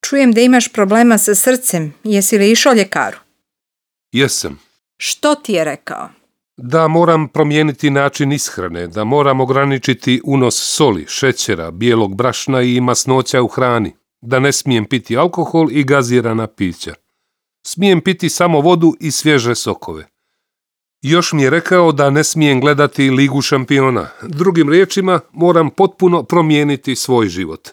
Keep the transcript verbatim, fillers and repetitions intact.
Čujem da imaš problema sa srcem. Jesi li išao ljekaru? Jesam. Što ti je rekao? Da moram promijeniti način ishrane, da moram ograničiti unos soli, šećera, bijelog brašna i masnoća u hrani, da ne smijem piti alkohol i gazirana pića. Smijem piti samo vodu i svježe sokove. Još mi je rekao da ne smijem gledati Ligu šampiona. Drugim riječima, moram potpuno promijeniti svoj život.